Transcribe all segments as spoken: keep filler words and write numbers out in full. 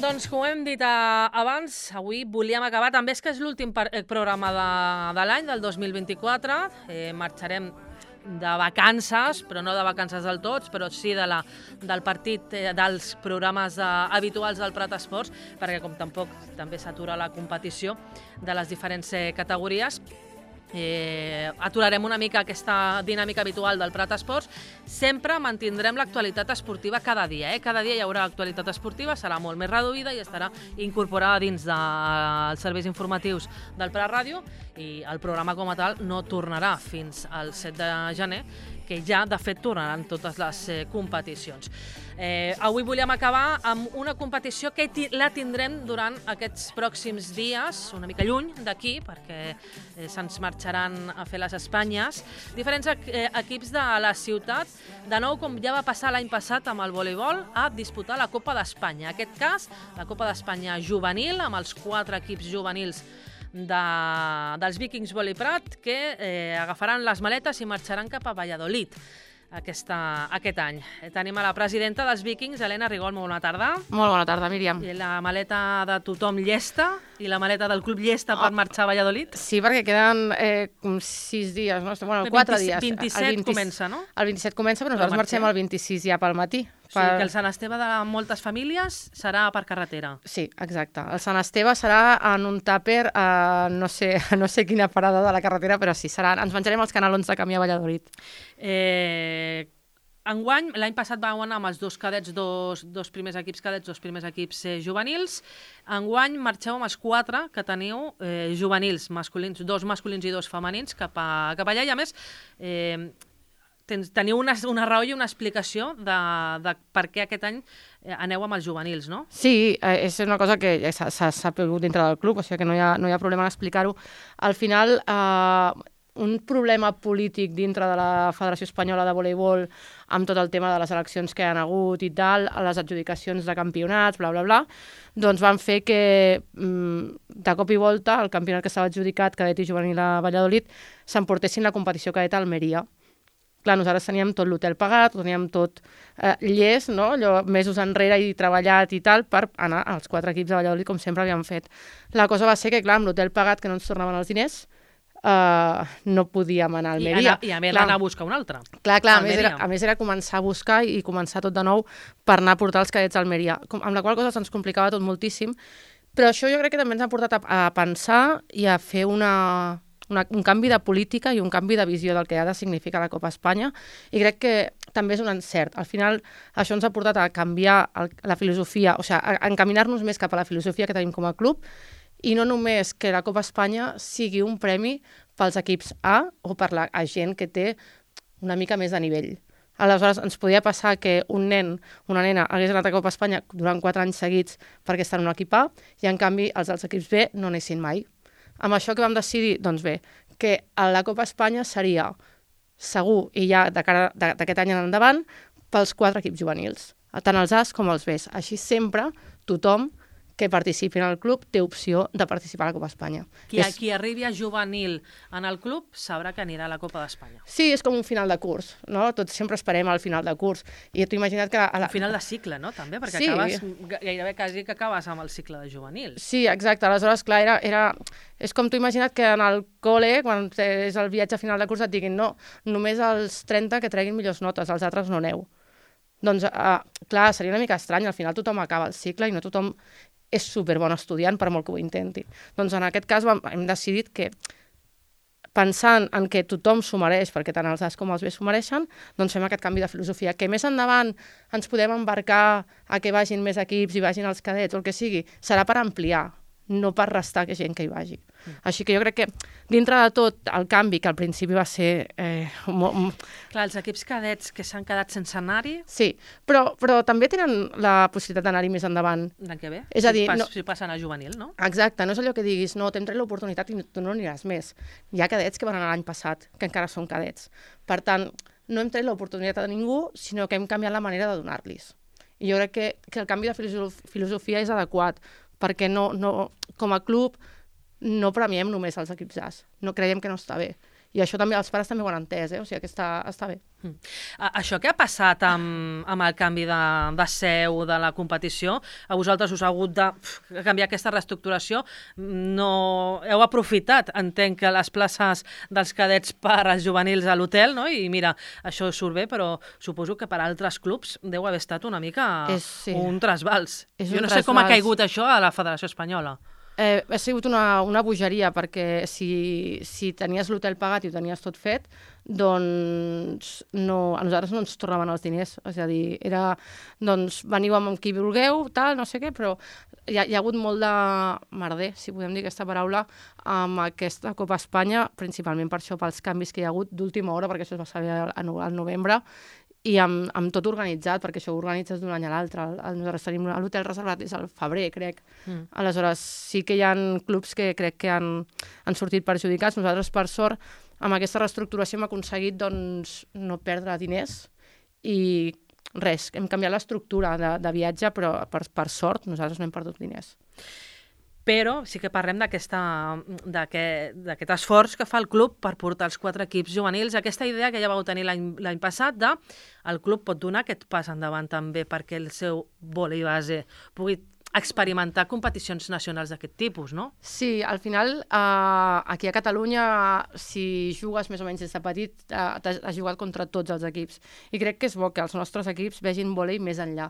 Doncs, com hem dit abans, avui volíem acabar, també és que és l'últim programa de, de l'any, del dos mil vint-i-quatre. Eh, marxarem de vacances, però no de vacances del tots, però sí de la, del partit, eh, dels programes eh, habituals del Prat Esports, perquè com tampoc també s'atura la competició de les diferents eh, categories, Eh, aturarem una mica aquesta dinàmica habitual del Prat Esports. Sempre mantindrem l'actualitat esportiva cada dia, eh? Cada dia hi haurà actualitat esportiva, serà molt més reduïda i estarà incorporada dins dels serveis informatius del Prat Ràdio, i el programa com a tal no tornarà fins al set de gener, que ja de fet tornaran totes les eh, competicions. Eh, avui volíem acabar amb una competició que la tindrem durant aquests pròxims dies, una mica lluny d'aquí, perquè eh, se'ns marxaran a fer les Espanyes. Diferents eh, equips de la ciutat, de nou, com ja va passar l'any passat amb el voleibol, a disputar la Copa d'Espanya. En aquest cas, la Copa d'Espanya juvenil, amb els quatre equips juvenils de, dels Vikings Volley Prat, que eh, agafaran les maletes i marxaran cap a Valladolid aquesta, aquest any. Tenim a la presidenta dels Vikings, Helena Rigol, molt bona tarda. Molt bona tarda, Míriam. I la maleta de tothom llesta i la maleta del club llesta oh. per marxar a Valladolid? Sí, perquè queden eh, sis dies, no? Bueno, quatre dies. vint-i-set el vint, comença, no? El vint-i-set comença, però nosaltres marxem el vint-i-sis ja pel matí. O sigui per... que el Sant Esteve de moltes famílies serà per carretera. Sí, exacte. El Sant Esteve serà en un tàper a no sé, no sé quina parada de la carretera, però sí, serà, ens menjarem els canalons de camí a Valladolid. Eh, enguany, l'any passat vam anar amb els dos cadets, dos, dos primers equips cadets, dos primers equips eh, juvenils. Enguany marxeu amb els quatre que teniu eh, juvenils, masculins, dos masculins i dos femenins cap, a, cap allà, i a més... Eh, Tens, teniu una, una raó i una explicació de, de per què aquest any aneu amb els juvenils, no? Sí, eh, és una cosa que ja s'ha sabut dintre del club, o sigui que no hi ha, no hi ha problema en explicar-ho. Al final, eh, un problema polític dintre de la Federació Espanyola de Voleibol, amb tot el tema de les eleccions que hi ha hagut i tal, les adjudicacions de campionats, bla, bla, bla, doncs van fer que, de cop i volta, el campionat que estava adjudicat, cadet i juvenil a Valladolid, s'emportessin la competició cadet a Almeria. Clar, nosaltres teníem tot l'hotel pagat, teníem tot eh, llest, no? Allò, mesos enrere i treballat i tal, per anar als quatre equips de Valladolid, com sempre havíem fet. La cosa va ser que, clar, amb l'hotel pagat, que no ens tornaven els diners, eh, no podíem anar a Almeria. I, I a més anar a buscar un altre. Clar, clar, a més, era, a més era començar a buscar i començar tot de nou per anar a portar els cadets a Almeria, amb la qual cosa se'ns complicava tot moltíssim. Però això jo crec que també ens ha portat a, a pensar i a fer una... Una, un canvi de política i un canvi de visió del que ha de significar la Copa Espanya, i crec que també és un encert. Al final, això ens ha portat a canviar el, la filosofia, o sigui, a, a encaminar-nos més cap a la filosofia que tenim com a club, i no només que la Copa Espanya sigui un premi pels equips A o per la a gent que té una mica més de nivell. Aleshores, ens podia passar que un nen, una nena, hagués anat a Copa Espanya durant quatre anys seguits perquè estan en un equip A, i en canvi els dels equips B no anessin mai. Amb això que vam decidir, doncs bé, que a la Copa Espanya seria segur, i ja de cara d'aquest any en endavant, pels quatre equips juvenils, tant els As com els Bs. Així sempre tothom que participi en el club té opció de participar a la Copa Espanya. Qui, és... qui arribi a juvenil en el club sabrà que anirà a la Copa d'Espanya. Sí, és com un final de curs, no? Tots sempre esperem al final de curs. I t'ho imagina't que... A la... Un final de cicle, no? També, perquè sí. acabes, gairebé quasi que acabes amb el cicle de juvenil. Sí, exacte. Aleshores, clar, era... era... És com t'ho imagina't que en el col·le, quan és el viatge a final de curs, et diguin no, només els trenta que treguin millors notes, els altres no aneu. Doncs, uh, clar, seria una mica estrany. Al final tothom acaba el cicle i no tothom és superbon estudiant, per molt que ho intenti. Doncs en aquest cas vam, hem decidit que, pensant en que tothom s'ho mereix, perquè tant els As com els B s'ho mereixen, doncs fem aquest canvi de filosofia. Que més endavant ens podem embarcar a que vagin més equips i vagin els cadets o el que sigui, serà per ampliar, no per restar que gent que hi vagi. Mm. Així que jo crec que, dintre de tot, el canvi, que al principi va ser... Eh, molt... Clar, els equips cadets que s'han quedat sense anar-hi... Sí, però, però també tenen la possibilitat d'anar-hi més endavant. L'any que ve? És a dir, si, pas, no... si passen a juvenil, no? Exacte, no és allò que diguis, no, t'hem tret l'oportunitat i tu no aniràs més. Hi ha cadets que van anar l'any passat, que encara són cadets. Per tant, no hem tret l'oportunitat a ningú, sinó que hem canviat la manera de donar-los. I jo crec que, que el canvi de filosofia és adequat, perquè no, no, com a club no premiem només els equips As, no creiem que no està bé. I això també els pares també ho han entès, eh? O sigui que està, està bé. Mm. Això que ha passat amb, amb el canvi de, de seu de la competició, a vosaltres us ha hagut de pf, canviar aquesta reestructuració, no heu aprofitat, entenc, que les places dels cadets per als juvenils a l'hotel, no? I mira, això surt bé, però suposo que per a altres clubs deu haver estat una mica és, sí. un trasbals. És jo un no sé trasbals. com ha caigut això a la Federació Espanyola. Eh, ha sigut una, una bogeria, perquè si, si tenies l'hotel pagat i ho tenies tot fet, doncs no, a nosaltres no ens tornaven els diners. És a dir, era, doncs, veniu amb qui vulgueu, tal, no sé què, però hi ha, hi ha hagut molt de merder, si podem dir aquesta paraula, amb aquesta Copa Espanya, principalment per això, pels canvis que hi ha hagut d'última hora, perquè això es va saber al, al novembre, i amb, amb tot organitzat, perquè això ho organitzes d'un any a l'altre. Nosaltres tenim l'hotel reservat des del febrer, crec. Mm. Aleshores, sí que hi ha clubs que crec que han, han sortit perjudicats. Nosaltres, per sort, amb aquesta reestructuració hem aconseguit doncs, no perdre diners i res, hem canviat l'estructura de, de viatge, però per, per sort nosaltres no hem perdut diners. Però sí que parlem d'aquest esforç que fa el club per portar els quatre equips juvenils, aquesta idea que ja vau tenir l'any passat de el club pot donar aquest pas endavant també perquè el seu vòlei base pugui experimentar competicions nacionals d'aquest tipus, no? Sí, al final, eh, aquí a Catalunya, si jugues més o menys des de petit, eh, has jugat contra tots els equips. I crec que és bo que els nostres equips vegin vòlei més enllà.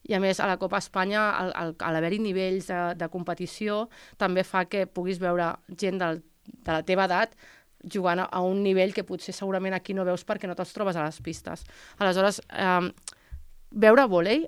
I a més, a la Copa Espanya, al, al, a l'haver-hi nivells de, de competició, també fa que puguis veure gent del, de la teva edat jugant a, a un nivell que potser segurament aquí no veus perquè no te'ls trobes a les pistes. Aleshores, eh, veure vòlei,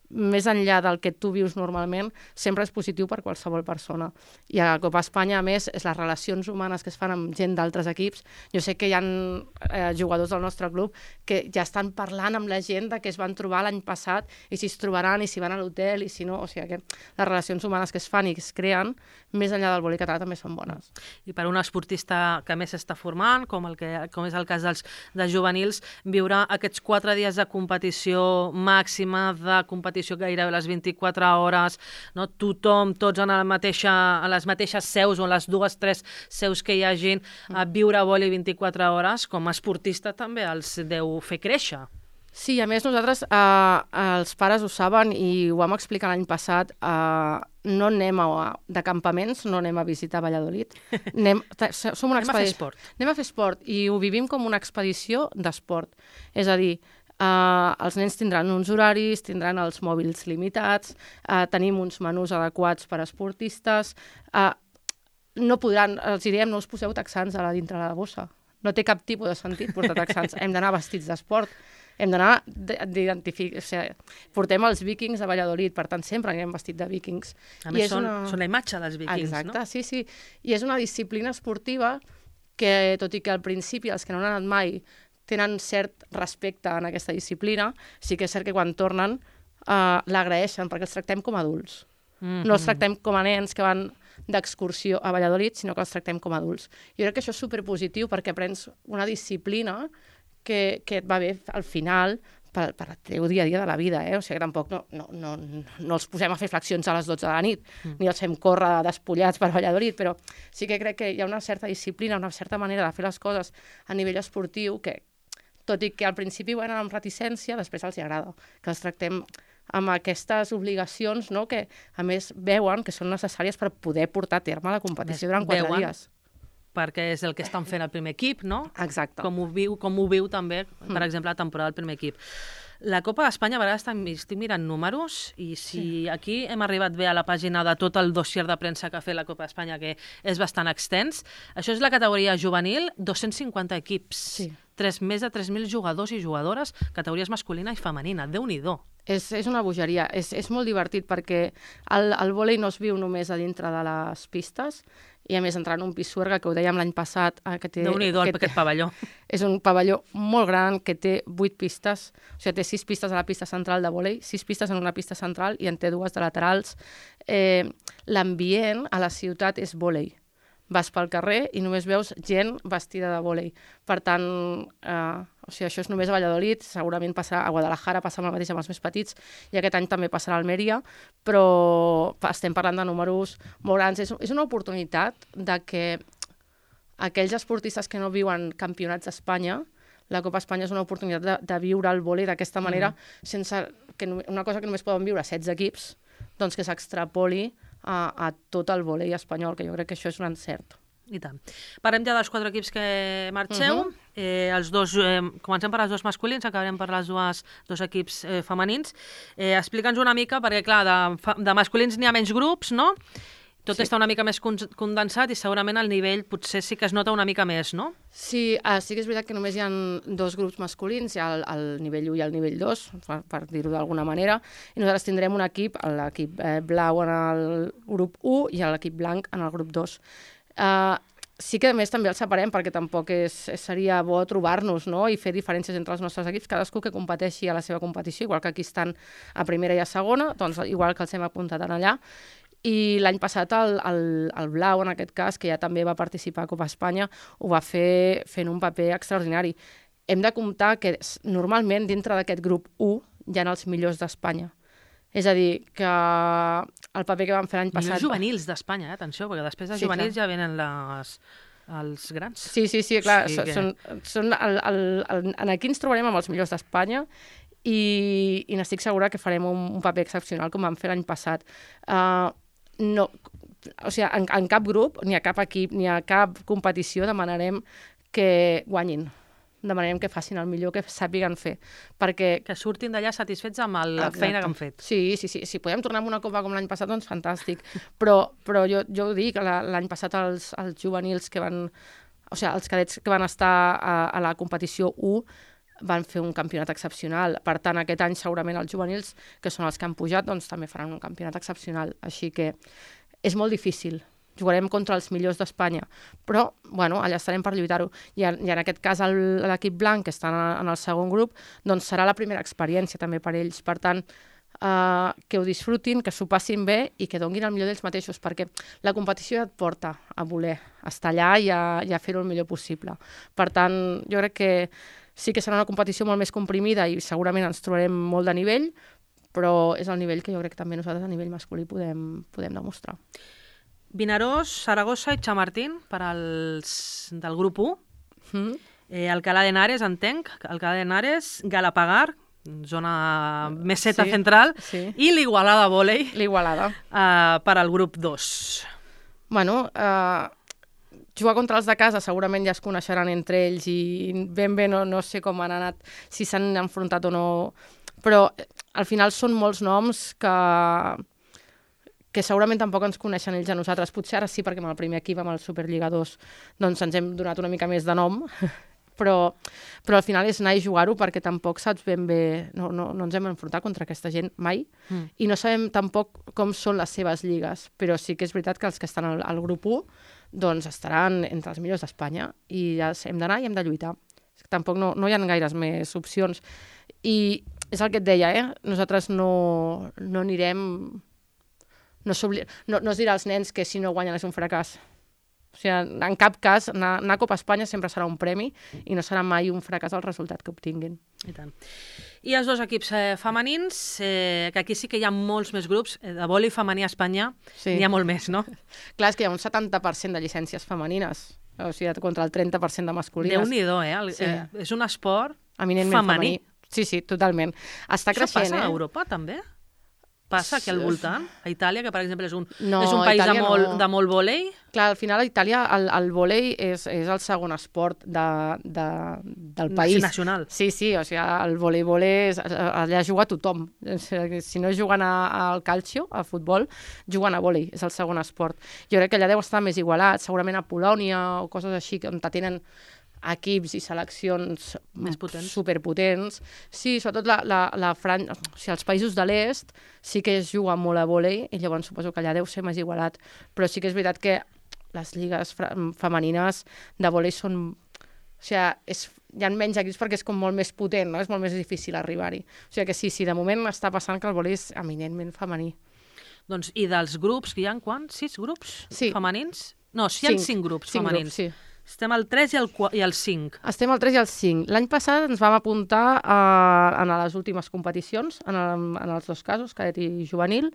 més enllà del que tu vius normalment, sempre és positiu per qualsevol persona. I a la Copa Espanya, a més, és les relacions humanes que es fan amb gent d'altres equips. Jo sé que hi ha eh, jugadors del nostre club que ja estan parlant amb la gent de que es van trobar l'any passat i si es trobaran i si van a l'hotel i si no. O sigui que les relacions humanes que es fan i que es creen, més enllà del vòlei català, també són bones. I per un esportista que més s'està formant, com, el que, com és el cas dels, dels juvenils, viure aquests quatre dies de competició màxima, de competició gairebé les vint-i-quatre hores, no? Tothom, tots en la mateixa, en les mateixes seus o en les dues, tres seus que hi hagin, a viure vòlei vint-i-quatre hores, com a esportista també els deu fer créixer. Sí, a més nosaltres, eh, els pares ho saben i ho vam explicar l'any passat, eh, no anem a, de campaments, no anem a visitar Valladolid, anem, som una anem a fer esport. Anem a fer esport i ho vivim com una expedició d'esport. És a dir, Uh, els nens tindran uns horaris, tindran els mòbils limitats, uh, tenim uns menús adequats per a esportistes, uh, no podran, els diem, no us poseu texans a la dintre de la bossa. No té cap tipus de sentit portar texans. Hem d'anar vestits d'esport, hem d'anar d'identificar... O sigui, portem els vikings a Valladolid, per tant, sempre anem vestits de vikings. A més, són, una... són la imatge dels vikings, Exacte, no? Exacte, sí, sí. I és una disciplina esportiva que, tot i que al principi els que no han anat mai tenen cert respecte en aquesta disciplina, sí que és cert que quan tornen eh, l'agraeixen, perquè els tractem com a adults. Mm-hmm. No els tractem com a nens que van d'excursió a Valladolid, sinó que els tractem com a adults. Jo crec que això és superpositiu perquè aprens una disciplina que, que et va bé al final per, per el teu dia a dia de la vida, eh? O sigui, tampoc no, no, no, no els posem a fer flexions a les dotze de la nit, mm. ni els fem córrer despullats per Valladolid, però sí que crec que hi ha una certa disciplina, una certa manera de fer les coses a nivell esportiu que, tot i que al principi ho eren amb reticència, després els hi agrada, que els tractem amb aquestes obligacions, no?, que a més veuen que són necessàries per poder portar a terme la competició durant quatre veuen, dies. Perquè és el que estan fent el primer equip, no? Exacte. Com ho viu, com ho viu també, per mm. exemple, la temporada del primer equip. La Copa d'Espanya, a vegades estic mirant números i si sí. Aquí hem arribat bé a la pàgina de tot el dossier de premsa que ha fet la Copa d'Espanya, que és bastant extens, això és la categoria juvenil, dos-cents cinquanta equips, sí. tres, més de tres mil jugadors i jugadores, categories masculina i femenina, Déu-n'hi-do. És, és una bogeria, és, és molt divertit perquè el, el vòlei no es viu només a dintre de les pistes i a més entrar en un Pisuerga, que ho dèiem l'any passat, que té... Déu-n'hi-do, aquest pavelló. És un pavelló molt gran que té vuit pistes, o sigui, té sis pistes a la pista central de vòlei, sis pistes en una pista central i en té dues de laterals. Eh, L'ambient a la ciutat és vòlei. Vas pel carrer i només veus gent vestida de vòlei. Per tant, eh, o sigui, això és només a Valladolid, segurament passarà a Guadalajara, passa el mateix amb els més petits, i aquest any també passarà a Almeria, però estem parlant de números molt grans. És, és una oportunitat de que aquells esportistes que no viuen campionats d'Espanya, la Copa Espanya és una oportunitat de, de viure el vòlei d'aquesta manera, mm. sense que una cosa que només poden viure setze equips, doncs que s'extrapoli a, a tot el vòlei espanyol, que jo crec que això és un encert. I tant. Parlem ja dels quatre equips que marxeu. Uh -huh. eh, els dos, eh, comencem per els dos masculins, acabarem per les dues, dos equips eh, femenins. Eh, Explica'ns una mica, perquè clar, de, de masculins n'hi ha menys grups, no? Tot sí. està una mica més condensat i segurament el nivell potser sí que es nota una mica més, no? Sí, uh, sí que és veritat que només hi ha dos grups masculins, hi ha el, el nivell u i el nivell dos, per, per dir-ho d'alguna manera, i nosaltres tindrem un equip, l'equip eh, blau en el grup u i l'equip blanc en el grup dos. Uh, sí que a més també els separem perquè tampoc és, seria bo trobar-nos, no? I fer diferències entre els nostres equips, cadascú que competeixi a la seva competició, igual que aquí estan a primera i a segona, doncs igual que els hem apuntat en allà. I l'any passat el, el, el blau, en aquest cas, que ja també va participar a Copa Espanya, ho va fer fent un paper extraordinari. Hem de comptar que normalment dintre d'aquest grup u hi ha els millors d'Espanya. És a dir, que el paper que vam fer l'any passat... Millors juvenils d'Espanya, eh? Atenció, perquè després de sí, juvenils clar. Ja venen les, els grans. Sí, sí, sí, clar. Sí, que... són, són el, el, el, en aquí ens trobarem amb els millors d'Espanya i, i n'estic segura que farem un, un paper excepcional com vam fer l'any passat. Uh, no, o sigui, en, en cap grup, ni a cap equip, ni a cap competició demanarem que guanyin. Demanarem que facin el millor que sàpiguen fer. Perquè... Que surtin d'allà satisfets amb el, la Exacte. feina que han fet. Sí, sí, sí. Si podem tornar amb una copa com l'any passat, doncs fantàstic. Però, però jo, jo ho dic, l'any passat els, els juvenils que van... O sigui, els cadets que van estar a, a la competició u van fer un campionat excepcional. Per tant, aquest any segurament els juvenils, que són els que han pujat, doncs també faran un campionat excepcional. Així que és molt difícil. Jugarem contra els millors d'Espanya, però bueno, allà estarem per lluitar-ho. I, en, I en aquest cas l'equip blanc, que està en, en el segon grup, doncs serà la primera experiència també per ells. Per tant, eh, que ho disfrutin, que s'ho passin bé i que donguin el millor d'ells mateixos, perquè la competició ja et porta a voler estar allà i a, i a fer-ho el millor possible. Per tant, jo crec que sí que serà una competició molt més comprimida i segurament ens trobarem molt de nivell, però és el nivell que jo crec que també nosaltres a nivell masculí podem, podem demostrar. Vinaròs, Saragossa i Chamartín per als del grup u. Mm. Eh, Alcalá de Henares, entenc. Alcalá de Henares, Galapagar, zona meseta sí, central, sí. I l'Igualada Vòlei. L'Igualada. Eh, per al grup dos. Bueno, eh, jugar contra els de casa segurament ja es coneixeran entre ells i ben bé no, no sé com han anat, si s'han enfrontat o no, però al final són molts noms que... que segurament tampoc ens coneixen ells a nosaltres. Potser ara sí, perquè amb el primer equip, amb el Superliga dos, doncs ens hem donat una mica més de nom, però, però al final és anar i jugar-ho perquè tampoc saps ben bé... No, no, no ens hem enfrontat contra aquesta gent mai mm. i no sabem tampoc com són les seves lligues, però sí que és veritat que els que estan al, al grup u doncs estaran entre els millors d'Espanya i ja hem d'anar i hem de lluitar. Tampoc no, no hi ha gaires més opcions. I és el que et deia, eh? Nosaltres no, no anirem... No, no, no es dirà als nens que si no guanyen és un fracàs. O sigui, en cap cas, anar, anar a Copa Espanya sempre serà un premi i no serà mai un fracàs el resultat que obtinguin. I tant. I els dos equips eh, femenins, eh, que aquí sí que hi ha molts més grups, eh, de vòlei femení a Espanya, sí. N'hi ha molt més, no? Clar, és que hi ha un setanta per cent de llicències femenines, o sigui, contra el trenta per cent de masculines. Déu-n'hi-do, eh? El, sí. eh? És un esport eminentment femení. femení. Sí, sí, totalment. Està Això creixent, passa eh? a Europa, també? Passa aquí al voltant? A Itàlia, que per exemple és un, no, és un país de molt, no. de molt vòlei? Clar, al final a Itàlia el, el vòlei és, és el segon esport de, de, del país. Nacional. Sí, sí, o sigui, el voleibol és... Allà juga tothom. Si no juguen a, al calcio, a futbol, juguen a vòlei, és el segon esport. Jo crec que allà deu estar més igualat, segurament a Polònia o coses així, on tenen equips i seleccions més potents. Superpotents. Sí, sobretot la, la, la Fran... o sigui, els països de l'est sí que es juga molt a vòlei i llavors suposo que allà deu ser més igualat. Però sí que és veritat que les lligues femenines de vòlei són... O sigui, és, hi ha menys equips perquè és com molt més potent, no? És molt més difícil arribar-hi. O sigui que sí, sí, de moment està passant que el vòlei és eminentment femení. Doncs, i dels grups, que hi ha quants? Sis grups sí. femenins? No, sí, hi ha cinc, cinc grups cinc femenins. Grups, sí. Estem al tres i al, i al cinc. Estem al tres i al cinc. L'any passat ens vam apuntar a, a les últimes competicions, en, el, en els dos casos, cadet i juvenil,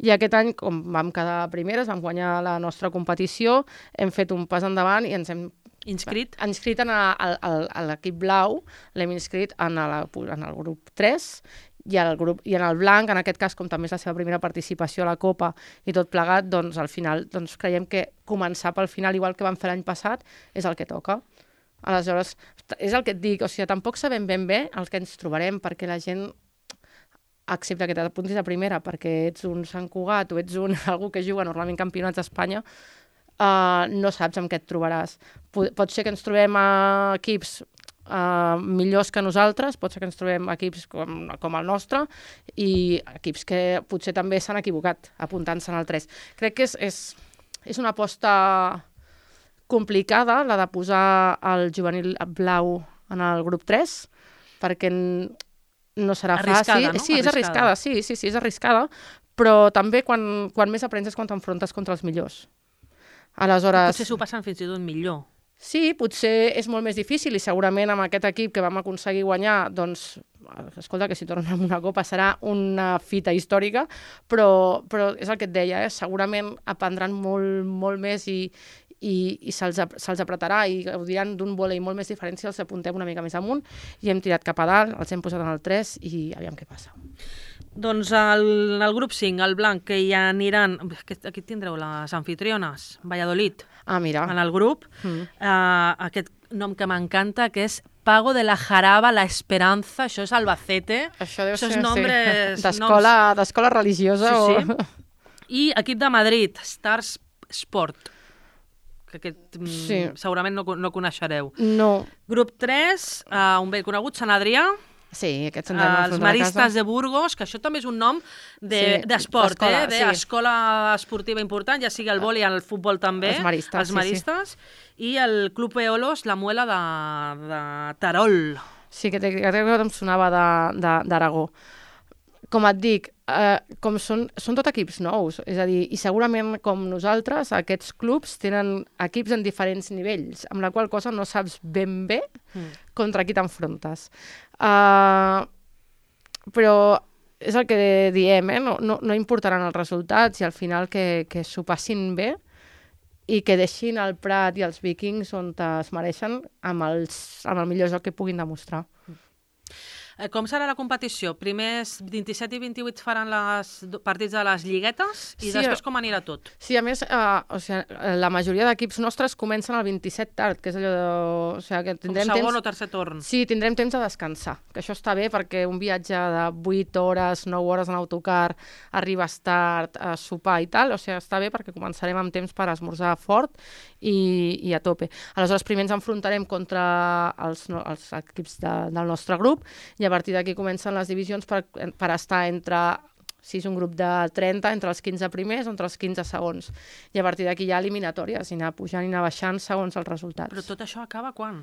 i aquest any, com vam quedar primeres, vam guanyar la nostra competició, hem fet un pas endavant i ens hem inscrit, inscrit en, a, a, a l'equip blau, l'hem inscrit en, a la, en el grup tres, i, el grup, i en el blanc, en aquest cas, com també és la seva primera participació a la Copa i tot plegat, doncs al final doncs, creiem que començar pel final, igual que vam fer l'any passat, és el que toca. Aleshores, és el que et dic, o sigui, tampoc sabem ben bé el que ens trobarem, perquè la gent accepta que t'apuntis a primera, perquè ets un Sant Cugat o ets un, algú que juga normalment campionats d'Espanya, uh, no saps amb què et trobaràs. Pot, pot ser que ens trobem a equips Uh, millors que nosaltres, pot ser que ens trobem equips com, com el nostre i equips que potser també s'han equivocat apuntant-se en el tres. Crec que és, és, és una aposta complicada, la de posar el juvenil blau en el grup tres, perquè no serà arriscada, fàcil. No? Sí, és arriscada, sí, sí, sí, és arriscada, però també quan, quan més aprens és quan t'enfrontes contra els millors. Aleshores... Potser s'ho passen fins i tot millor. Sí, potser és molt més difícil i segurament amb aquest equip que vam aconseguir guanyar, doncs, escolta, que si tornem amb una copa serà una fita històrica, però, però és el que et deia, eh? Segurament aprendran molt, molt més i, i, i se'ls se'ls apretarà i gaudiran d'un vòlei molt més diferent si els apuntem una mica més amunt i hem tirat cap a dalt, els hem posat en el tres i aviam què passa. Doncs el, el grup cinc, el blanc, que hi aniran... Aquí tindreu les anfitriones, Valladolid, ah, mira. en el grup. Mm. Uh, aquest nom que m'encanta, que és Pago de la Jaraba, la Esperanza, això és Albacete. Això deu això ser, nombres, sí. D'escola noms... religiosa. Sí, o... sí. I equip de Madrid, Stars Sport, que aquest sí. segurament no, no coneixereu. No. Grup tres, uh, un vell conegut, Sant Adrià. Sí, aquests ens uh, hem Els Maristes de Burgos, que això també és un nom d'esport, de, sí, eh? d'escola sí. esportiva important, ja sigui el vòlei i el futbol també. Els Maristes, els Maristes. Sí, sí. I el Club Eolos, la Muela de, de Terol. Sí, que, que, que em sonava d'Aragó. Com et dic, eh, com són, són tot equips nous, és a dir, i segurament com nosaltres, aquests clubs tenen equips en diferents nivells, amb la qual cosa no saps ben bé mm. contra qui t'enfrontes. Uh, però és el que diem, eh? no, no, no importaran els resultats i al final que, que s'ho passin bé i que deixin el Prat i els Vikings on es mereixen amb, els, amb el millor joc que puguin demostrar. Com serà la competició? Primers vint-i-set i vint-i-vuit faran els partits de les lliguetes i sí, després com anirà tot? Sí, a més, eh, o sigui, la majoria d'equips nostres comencen el vint-i-set tard, que és allò de... O sigui, que tindrem com segon temps... o tercer torn. Sí, tindrem temps de descansar, que això està bé perquè un viatge de vuit hores, nou hores en autocar, arribes tard, a sopar i tal, o sigui, està bé perquè començarem amb temps per esmorzar fort i, i a tope. Aleshores, primer ens enfrontarem contra els, els equips de, del nostre grup i a partir d'aquí comencen les divisions per, per estar entre, si és un grup de trenta, entre els quinze primers o entre els quinze segons. I a partir d'aquí hi ha eliminatòries, i anar pujant i anar baixant segons els resultats. Però tot això acaba quan?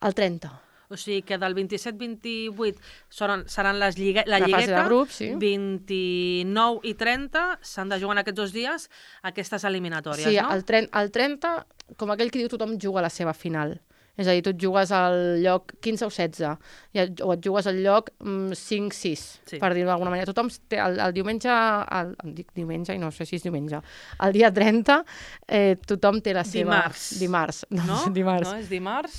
El trenta. O sigui que del vint-i-set vint-i-vuit seran, seran les lligue, la, la lligueta, de grup, sí. vint-i-nou i trenta s'han de jugar en aquests dos dies aquestes eliminatòries, sí, no? Sí, el, el trenta, com aquell que diu tothom juga a la seva final. És a dir, tu et jugues al lloc quinze o setze, i et, o et jugues al lloc mm, cinc sis, sí. per dir-ho d'alguna manera. Tothom té el, el diumenge, el, el dic diumenge i no sé si és diumenge, el dia trenta eh, tothom té la seva... Dimarts. Dimarts. No, no? dimarts. No, és dimarts?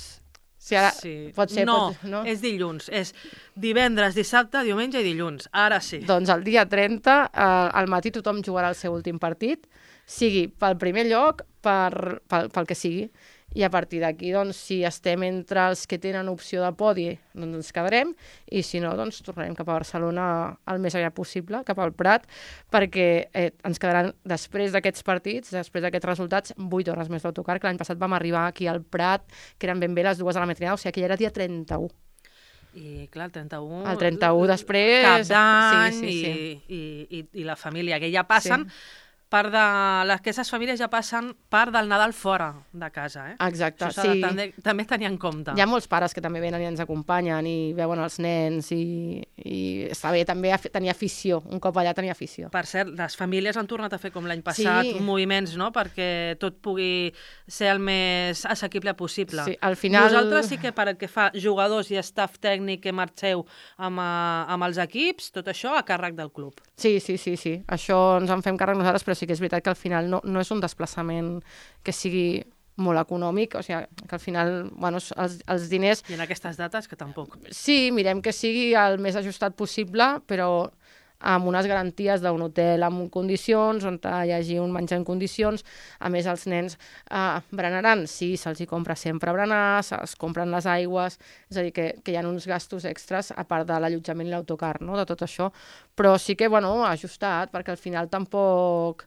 Sí, ara sí. pot ser... No, pot, no, és dilluns. És divendres, dissabte, diumenge i dilluns. Ara sí. Doncs el dia trenta, eh, al matí tothom jugarà el seu últim partit, sigui pel primer lloc, per, pel, pel que sigui. I a partir d'aquí, doncs, si estem entre els que tenen opció de podi, doncs ens quedarem, i si no, doncs tornarem cap a Barcelona el més aviat possible, cap al Prat, perquè eh, ens quedaran, després d'aquests partits, després d'aquests resultats, vuit hores més d'autocar, que l'any passat vam arribar aquí al Prat, que eren ben bé les dues de la matinada, o sigui que ja era dia trenta-u. I clar, el trenta-u... El trenta-u després... Cap d'any sí, sí, sí. I, i, i, i la família, que ja passen... Sí. part de... Aquestes famílies ja passen part del Nadal fora de casa, eh? Exacte, Això s'ha sí. de també, també tenir en compte. Hi ha molts pares que també venen i ens acompanyen i veuen els nens i, i està bé també tenir afició, un cop allà tenir afició. Per cert, les famílies han tornat a fer com l'any passat Sí. moviments, no?, perquè tot pugui ser el més assequible possible. Sí, al final... Vosaltres sí que per el que fa jugadors i staff tècnic que marxeu amb, uh, amb els equips, tot això a càrrec del club. Sí, sí, sí, sí. Això ens en fem càrrec nosaltres, però sí que és veritat que al final no, no és un desplaçament que sigui molt econòmic, o sigui, que al final, bueno, els, els diners... I en aquestes dates que tampoc. Sí, mirem que sigui el més ajustat possible, però amb unes garanties d'un hotel amb condicions, on hi hagi un menjar en condicions. A més, els nens eh, berenaran, sí, se'ls hi compra sempre berenar, se'ls compren les aigües, és a dir, que, que hi ha uns gastos extras, a part de l'allotjament i l'autocar, no?, de tot això. Però sí que, bueno, ajustat, perquè al final tampoc...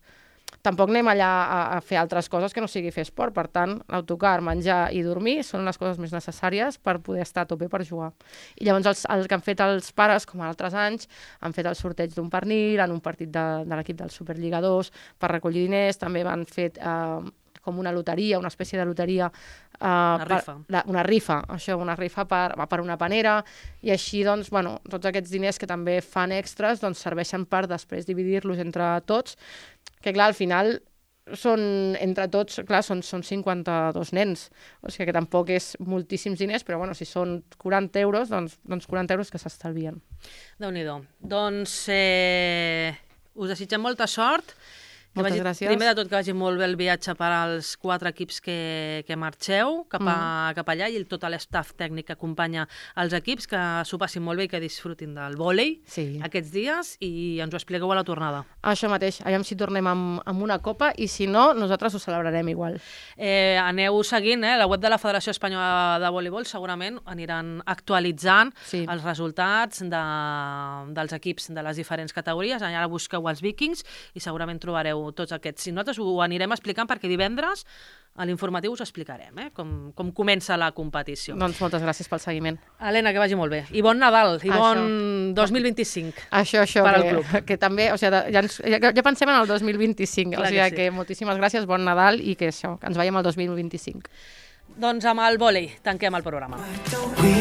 Tampoc anem allà a, a fer altres coses que no sigui fer esport. Per tant, l'autocar, menjar i dormir són les coses més necessàries per poder estar a tope per jugar. I llavors els, el que han fet els pares, com altres anys, han fet el sorteig d'un pernil en un partit de, de l'equip del Superliga dos per recollir diners. També van fet eh, com una loteria, una espècie de loteria. Eh, una rifa. Per, la, una rifa, això, una rifa per, per una panera. I així, doncs, bueno, tots aquests diners que també fan extras, doncs serveixen per després dividir-los entre tots, que clar, al final són, entre tots, clar, són, són cinquanta-dos nens, o sigui que tampoc és moltíssims diners, però bueno, si són quaranta euros, doncs, doncs quaranta euros que s'estalvien. Déu-n'hi-do. Doncs eh, us desitgem molta sort. Que Moltes vagi, gràcies. Primer de tot que vagi molt bé el viatge per als quatre equips que, que marxeu cap, a, mm. cap allà i tot l'estaf tècnic que acompanya els equips, que s'ho passin molt bé i que disfrutin del vòlei Sí. aquests dies i ens ho expliqueu a la tornada. Això mateix, aviam si tornem amb, amb una copa i si no, nosaltres ho celebrarem igual. Eh, aneu seguint, eh? La web de la Federació Espanyola de Voleibol segurament aniran actualitzant Sí. els resultats de, dels equips de les diferents categories. Allà busqueu els Vikings i segurament trobareu tots aquests. Si nosaltres ho anirem explicant perquè divendres a l'informatiu us explicarem eh? com, com comença la competició. Doncs moltes gràcies pel seguiment. Helena, que vagi molt bé. I bon Nadal, i Això. bon dos mil vint-i-cinc. Això, això, Per al que, club. que també, o sigui, ja, ens, ja, ja pensem en el dos mil vint-i-cinc, Clar o sigui que sí. que, que moltíssimes gràcies, bon Nadal i que això, que ens veiem el dos mil vint-i-cinc. Doncs amb el vòlei tanquem el programa. We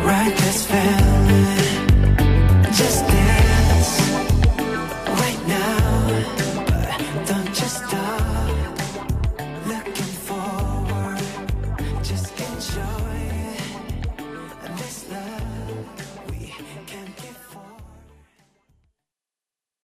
write this feeling just